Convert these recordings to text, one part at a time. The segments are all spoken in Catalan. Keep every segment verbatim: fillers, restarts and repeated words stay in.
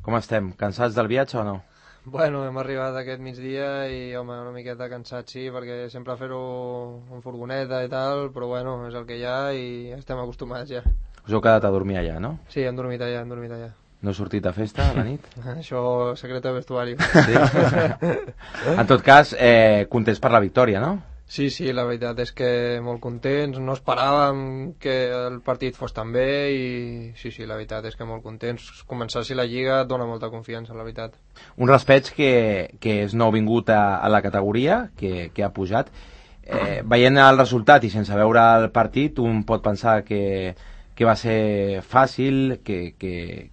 Com estem? Cansats del viatge o no? Bueno, hem arribat aquest migdia i, home, una miqueta cansats, sí, perquè sempre fer-ho en furgoneta i tal, però bueno, és el que hi ha i estem acostumats ja. Us heu quedat a dormir allà, no? Sí, hem dormit allà, hem dormit allà. No heu sortit de festa a la nit? Això, secret de vestuari. Sí? En tot cas, eh, contents per la victòria, no? Sí, sí, la veritat és que molt contents, no esperàvem que el partit fos tan bé i sí, sí, la veritat és que molt contents. Començar-si la Lliga et dona molta confiança, la veritat. Un Raspeig que, que és nou vingut a, a la categoria, que, que ha pujat. Eh, veient el resultat i sense veure el partit, un pot pensar que, que va ser fàcil, que, que,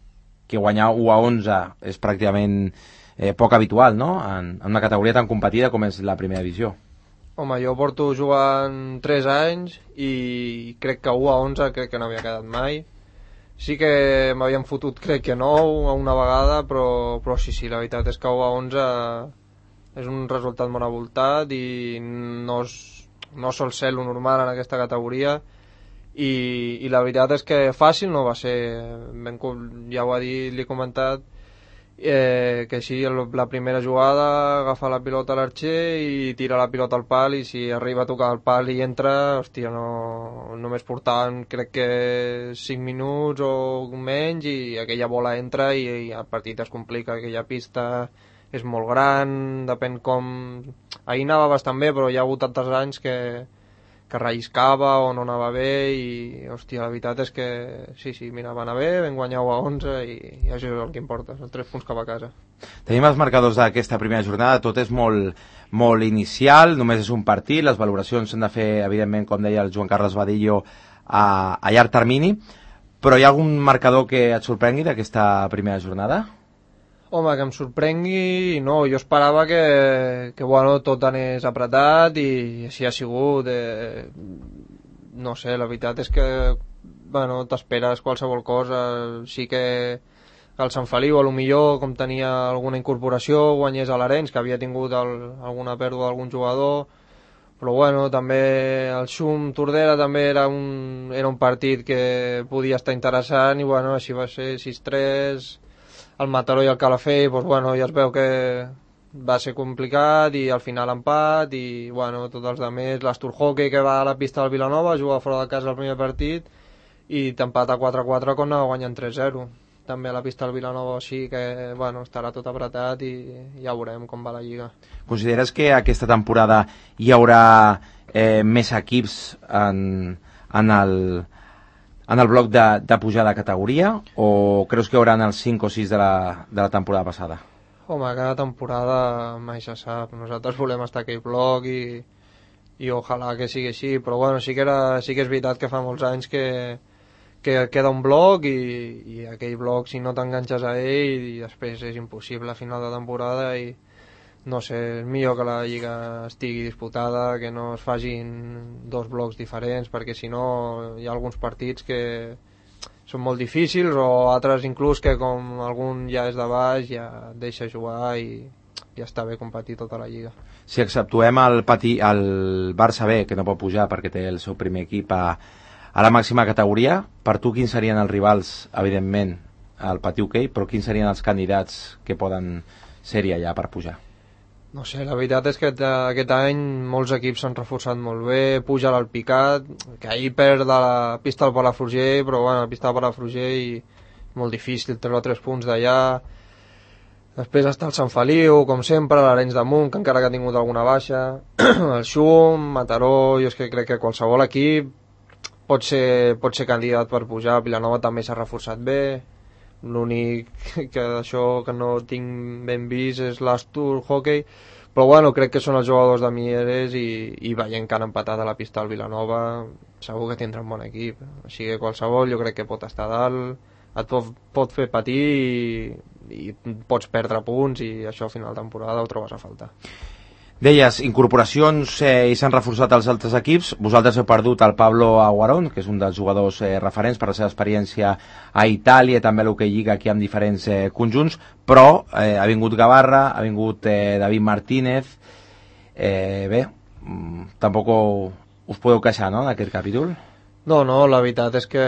que guanyar u a onze és pràcticament eh, poc habitual, no? En, en una categoria tan competida com és la primera divisió. Home, jo porto jugant tres anys i crec que u a onze crec que no havia quedat mai. Sí que m'havien fotut, crec que nou a una vegada, però, però sí, sí, la veritat és que u a onze és un resultat molt avoltat i no, és, no sol ser lo normal en aquesta categoria i, i la veritat és que fàcil no va ser. Ben, ja ho ha dit, li he comentat, Eh, que si la primera jugada agafa la pilota a l'arxer i tira la pilota al pal i si arriba a tocar el pal i entra, hòstia, no, només portaven crec que cinc minuts o menys i aquella bola entra i, i el partit es complica. Aquella pista és molt gran, depèn com... Ahir anava bastant bé, però hi ha hagut altres anys que, que relliscava o no anava bé i, hòstia, la veritat és que sí, sí, mira, va anar bé, vam guanyar u a onze i, i això és el que importa, els tres punts cap a casa. Tenim els marcadors d'aquesta primera jornada, tot és molt, molt inicial, només és un partit, les valoracions s'han de fer, evidentment, com deia el Joan Carles Badillo, a, a llarg termini, però hi ha algun marcador que et sorprengui d'aquesta primera jornada? Home, que em sorprengui, no, jo esperava que, que bueno, tot anés apretat i així ha sigut. Eh, no sé, la veritat és que bueno, t'esperes qualsevol cosa. Sí que el Sant Feliu, a lo millor, com tenia alguna incorporació, guanyés a l'Arenys, que havia tingut el, alguna pèrdua d'algun jugador, però bueno, també el Xum Tordera també era un, era un partit que podia estar interessant i bueno, així va ser sis tres. El Mataró i el Calafell, doncs, bueno, ja es veu que va ser complicat i al final empat i bueno, tots els altres, l'Astur Hockey que va a la pista del Vilanova, juga fora de casa el primer partit i t'empata quatre quatre quan anava guanyant tres zero. També a la pista del Vilanova així que bueno, estarà tot apretat i ja veurem com va la Lliga. Consideres que aquesta temporada hi haurà eh, més equips en, en el... en el bloc de, de pujada de categoria o creus que hi haurà els cinc o sis de la, de la temporada passada? Home, cada temporada mai se sap. Nosaltres volem estar a aquell bloc i, i ojalà que sigui així, però bueno, sí que, era, sí que és veritat que fa molts anys que, que queda un bloc i, i aquell bloc si no t'enganxes a ell i després és impossible a final de temporada i no sé, és millor que la Lliga estigui disputada, que no es facin dos blocs diferents, perquè si no hi ha alguns partits que són molt difícils o altres inclús que com algun ja és de baix ja deixa jugar i ja està bé competir tota la Lliga. Si exceptuem el, pati, el Barça B, que no pot pujar perquè té el seu primer equip a, a la màxima categoria, per tu quins serien els rivals, evidentment, al pati hoquei, però quins serien els candidats que poden ser-hi allà per pujar? No sé, la veritat és que aquest any molts equips s'han reforçat molt bé, puja l'Alpicat, que ahir perd de la pista del Palafrugell, però bueno, la pista del Palafrugell molt difícil treure tres punts d'allà. Després està el Sant Feliu, com sempre, l'Arenys de Munt, que encara que ha tingut alguna baixa, el Xum, Mataró, jo és que crec que qualsevol equip pot ser, pot ser candidat per pujar. Vilanova també s'ha reforçat bé, l'únic que això que no tinc ben vist és l'Astur Hockey, però bueno, crec que són els jugadors de Mieres i, i veient que han empatat a la pista del Vilanova segur que tindrà un bon equip, així que qualsevol jo crec que pot estar a dalt, et pot, pot fer patir i, i pots perdre punts i això a final de temporada ho trobes a faltar. Deies, incorporacions eh, i s'han reforçat els altres equips. Vosaltres heu perdut el Pablo Aguarón, que és un dels jugadors eh, referents per la seva experiència a Itàlia, també a l'Hockey Lliga aquí amb diferents eh, conjunts, però eh, ha vingut Gavarra, ha vingut eh, David Martínez. Eh, bé, mm, tampoc us podeu queixar, no?, d'aquest capítol? No, no, la veritat és que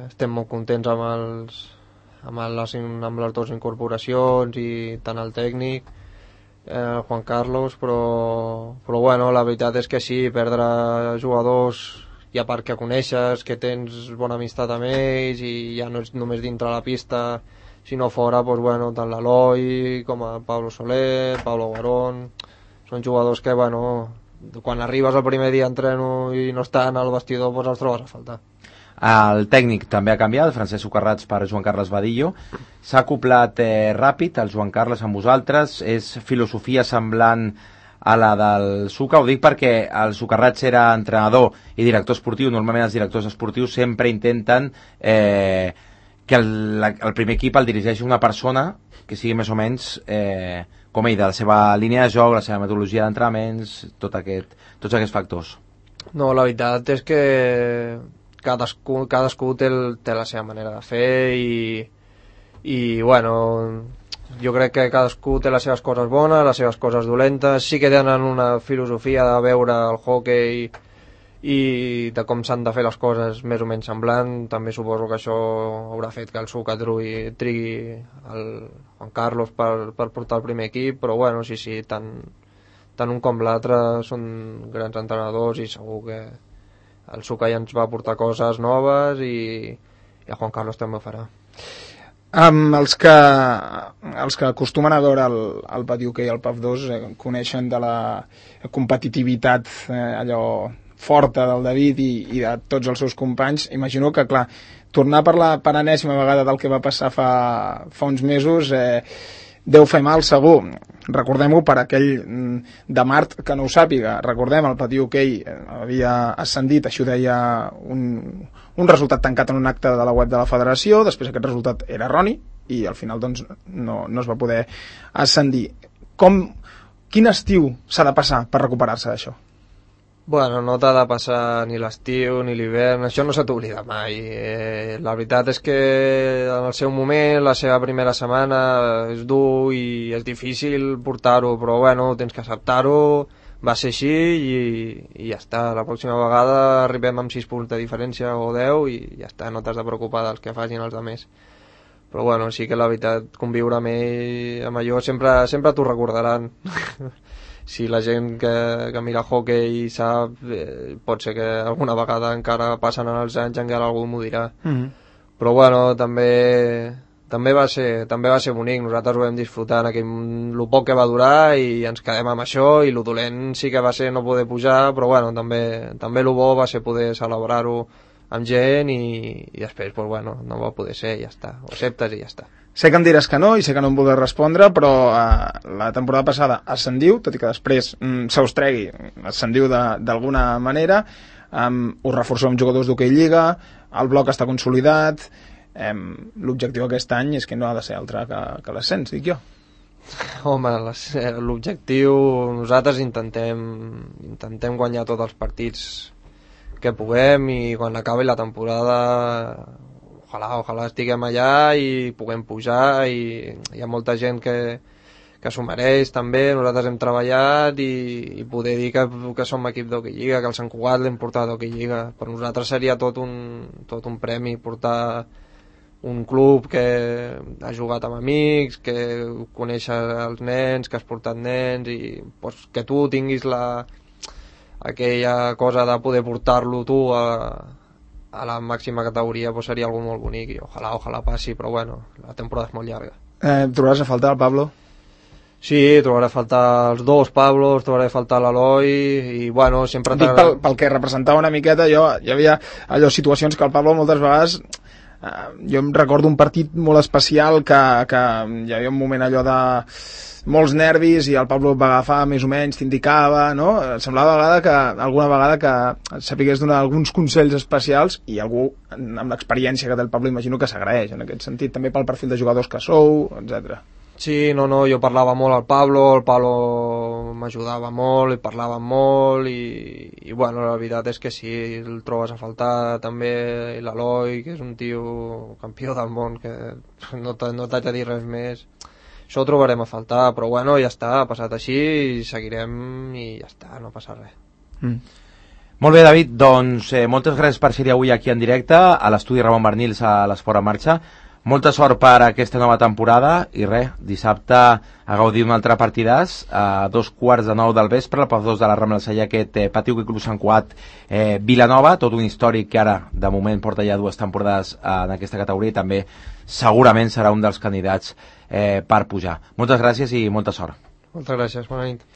estem molt contents amb els, amb, les, amb les dues incorporacions i tant el tècnic, eh, Juan Carlos, però, però bueno, la veritat és que sí, perdre jugadors i a part que coneixes, que tens bona amistat amb ells i ja no és només dintre la pista sinó fora, doncs, bueno, tant l'Eloi com el Pablo Soler, Pablo Guarón, són jugadors que bueno, quan arribes el primer dia a entreno i no estan al vestidor, doncs els trobes a faltar. El tècnic també ha canviat, Francesc Socarrats per Joan Carles Badillo. S'ha acoplat eh, ràpid el Joan Carles amb vosaltres, és filosofia semblant a la del Suca. Ho dic perquè el Socarrats era entrenador i director esportiu. Normalment els directors esportius sempre intenten eh, que el, el primer equip el dirigeixi una persona que sigui més o menys eh, com ell, de la seva línia de joc, la seva metodologia d'entrenaments, tot aquest, tots aquests factors. No, la veritat és que cadascú, cadascú té, el, té la seva manera de fer i, i bueno, jo crec que cadascú té les seves coses bones, les seves coses dolentes. Sí que tenen una filosofia de veure el hoquei i de com s'han de fer les coses més o menys semblant. També suposo que això haurà fet que el Suca trigui, trigui el Juan Carlos per, per portar el primer equip, però bueno, sí, sí, tant, tant un com l'altre són grans entrenadors i segur que el Suca ja ens va portar coses noves i, i el Juan Carlos també ho farà. Um, els, que, els que acostumen a veure el, el pati hoquei i el P A F dos eh, coneixen de la competitivitat eh, allò forta del David i, i de tots els seus companys. Imagino que, clar, tornar per la per enèsima vegada del que va passar fa, fa uns mesos eh, deu fer mal segur. Recordem-ho per aquell de Mart que no ho sàpiga. Recordem, el pati hoquei havia ascendit, això ho deia un, un resultat tancat en un acte de la web de la federació, després aquest resultat era erroni i al final doncs, no, no es va poder ascendir. Com, quin estiu s'ha de passar per recuperar-se d'això? Bueno, no t'ha de passar ni l'estiu ni l'hivern, això no se t'oblida mai. Eh, la veritat és que en el seu moment, la seva primera setmana és dur i és difícil portar-ho, però bueno, tens que acceptar-ho, va ser així i, i ja està. La pròxima vegada arribem amb sis punts de diferència o deu i ja està, no t'has de preocupar dels que facin els altres. Però bueno, sí que la veritat, conviure amb ell, amb allò, sempre, sempre t'ho recordaran. Si la gent que, que mira hoquei sap, eh, pot ser que alguna vegada encara passen els anys encara algú m'ho dirà. Mm-hmm. Però bueno, també també va ser també va ser bonic, nosaltres ho vam disfrutar en aquell, el poc que va durar i ens quedem amb això, i el dolent sí que va ser no poder pujar, però bueno, també també el bo va ser poder celebrar-ho amb gent i, i després pues, bueno, no va poder ser i ja està, ho acceptes i ja està. Sé que em diràs que no i sé que no em voldràs respondre, però eh, la temporada passada ascendiu, tot i que després mm, se us tregui, ascendiu d'alguna manera, um, us reforceu amb jugadors d'hoquei lliga, el bloc està consolidat, um, l'objectiu aquest any és que no ha de ser altre que, que l'ascens, dic jo. Home, l'objectiu, nosaltres intentem, intentem guanyar tots els partits que puguem i quan acabi la temporada ojalà, ojalà estiguem allà i puguem pujar, i hi ha molta gent que, que s'ho mereix també. Nosaltres hem treballat i, i poder dir que, que som equip d'hoquei lliga, que el Sant Cugat l'hem portat d'hoquei lliga. Per nosaltres seria tot un, tot un premi portar un club que ha jugat amb amics, que coneix els nens, que has portat nens i pues, que tu tinguis la, aquella cosa de poder portar-lo tu a a la màxima categoria, pues seria algo molt bonic i ojalà, ojalà passi, però bueno, la temporada és molt llarga. Eh, trobaràs a faltar el Pablo? Sí, trobaré a faltar els dos Pablos, trobaré a faltar l'Eloi i bueno, sempre... Dic pel, pel que representava una miqueta, jo hi havia allò, situacions que el Pablo moltes vegades eh, jo em recordo un partit molt especial que, que hi havia un moment allò de molts nervis i el Pablo va agafar més o menys, t'indicava, no? Semblava vegada que, alguna vegada que sapigués donar alguns consells especials i algú amb l'experiència que té el Pablo imagino que s'agraeix en aquest sentit, també pel perfil de jugadors que sou, etcètera. Sí, no, no, jo parlava molt al Pablo, el Pablo m'ajudava molt i parlava molt i, i bueno, la veritat és que sí, el trobes a faltar també l'Eloi, que és un tio campió del món, que no t'haig de dir res més. Això ho trobarem a faltar, però bueno, ja està, ha passat així i seguirem i ja està, no passa res. Mm. Molt bé, David, doncs eh, moltes gràcies per ser avui aquí en directe a l'estudi Ramon Barnils a l'Esport en Marxa. Molta sort per aquesta nova temporada i res, dissabte a gaudir un altre partidàs a dos quarts de nou del vespre, el P A F dos de la Rambla Cellà, aquest eh, Pati Hoquei Club Sant Cugat eh, Vilanova, tot un històric que ara de moment porta ja dues temporades eh, en aquesta categoria i també segurament serà un dels candidats eh, per pujar. Moltes gràcies i molta sort. Moltes gràcies, bona nit.